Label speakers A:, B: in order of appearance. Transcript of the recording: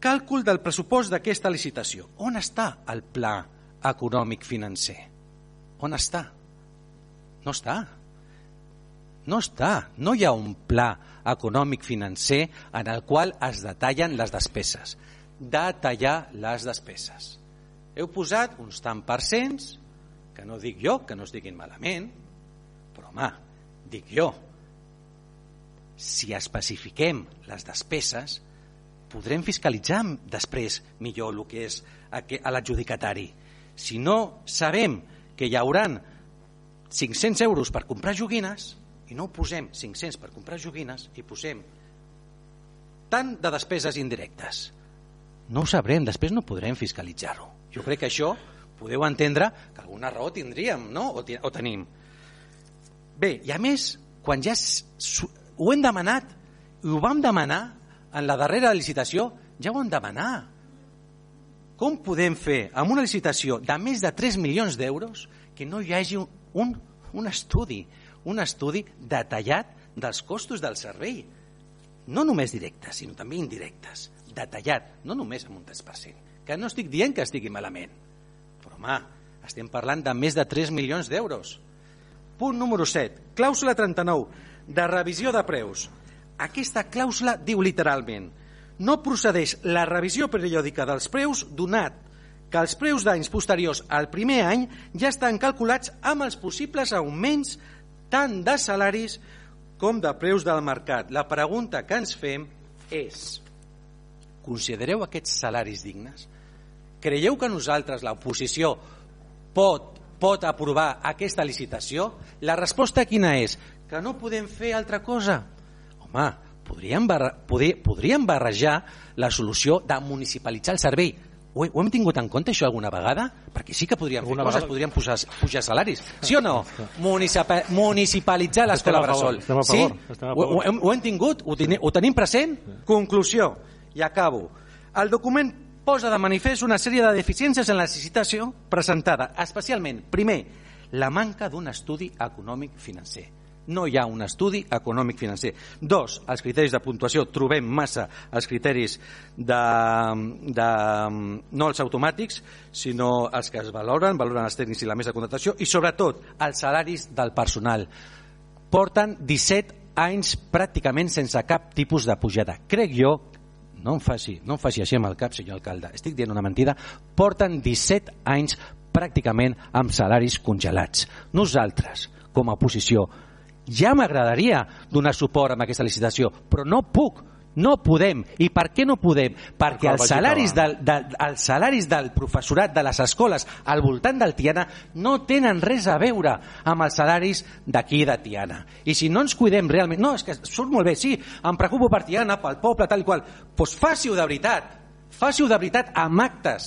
A: Càlcul del pressupost d'aquesta licitació. On està el pla econòmic financer? On està? No està. No està. No hi ha un pla econòmic financer en el qual es detallen les despeses. Detallar les despeses. Heu posat uns tant percents, que no dic jo, que no es diguin malament, però home, dic jo, si especifiquem les despeses, podrem fiscalitzar després millor el que és a l'adjudicatari. Si no sabem que hi haurà 500 euros per comprar joguines, i no posem 500 per comprar joguines, i posem tant de despeses indirectes, no ho sabrem, després no podrem fiscalitzar-ho. Jo crec que això podeu entendre que alguna raó tindríem, no? O tenim. Bé, i a més, quan ja ho hem demanat, i ho vam demanar en la darrera licitació, ja ho vam demanar. Com podem fer amb una licitació de més de 3 milions d'euros que no hi hagi un estudi detallat dels costos del servei? No només directes, sinó també indirectes. Detallat, no només amb un 3%. Que no estic dient que estigui malament. Però, home, estem parlant de més de 3 milions d'euros. Punt número 7. Clàusula 39, de revisió de preus. Aquesta clàusula diu literalment: no procedeix la revisió periòdica dels preus donat que els preus d'anys posteriors al primer any ja estan calculats amb els possibles augments tant de salaris com de preus del mercat. La pregunta que ens fem és: considereu aquests salaris dignes? Creieu que nosaltres, l'oposició, pot aprovar aquesta licitació? La resposta quina és? Que no podem fer altra cosa. Home, podríem barrejar la solució de municipalitzar el servei. Ho hem tingut en compte això alguna vegada? Perquè sí que podríem fer coses, podríem pujar salaris. Sí o no? Municipalitzar l'escola bressol. Sí? Ho hem tingut? Ho tenim present? Conclusió, i acabo. El document posa de manifest una sèrie de deficiències en la licitació presentada, especialment, primer, la manca d'un estudi econòmic financer. No hi ha un estudi econòmic financer. 2, els criteris de puntuació. Trobem massa els criteris no els automàtics, sinó els que es valoren els tècnics i la mesa de contractació, i sobretot els salaris del personal. Porten 17 anys pràcticament sense cap tipus de pujada. Crec jo, no em faci així amb el cap, senyor alcalde, estic dient una mentida, porten 17 anys pràcticament amb salaris congelats. Nosaltres, com a oposició, ja m'agradaria donar suport a aquesta licitació, però no puc, no podem. I per què no podem? Perquè els salaris del professorat de les escoles al voltant del Tiana no tenen res a veure amb els salaris d'aquí de Tiana. I si no ens cuidem realment, no, és que surt molt bé, sí, em preocupo per Tiana, pel poble, tal i qual, doncs faci-ho de veritat amb actes,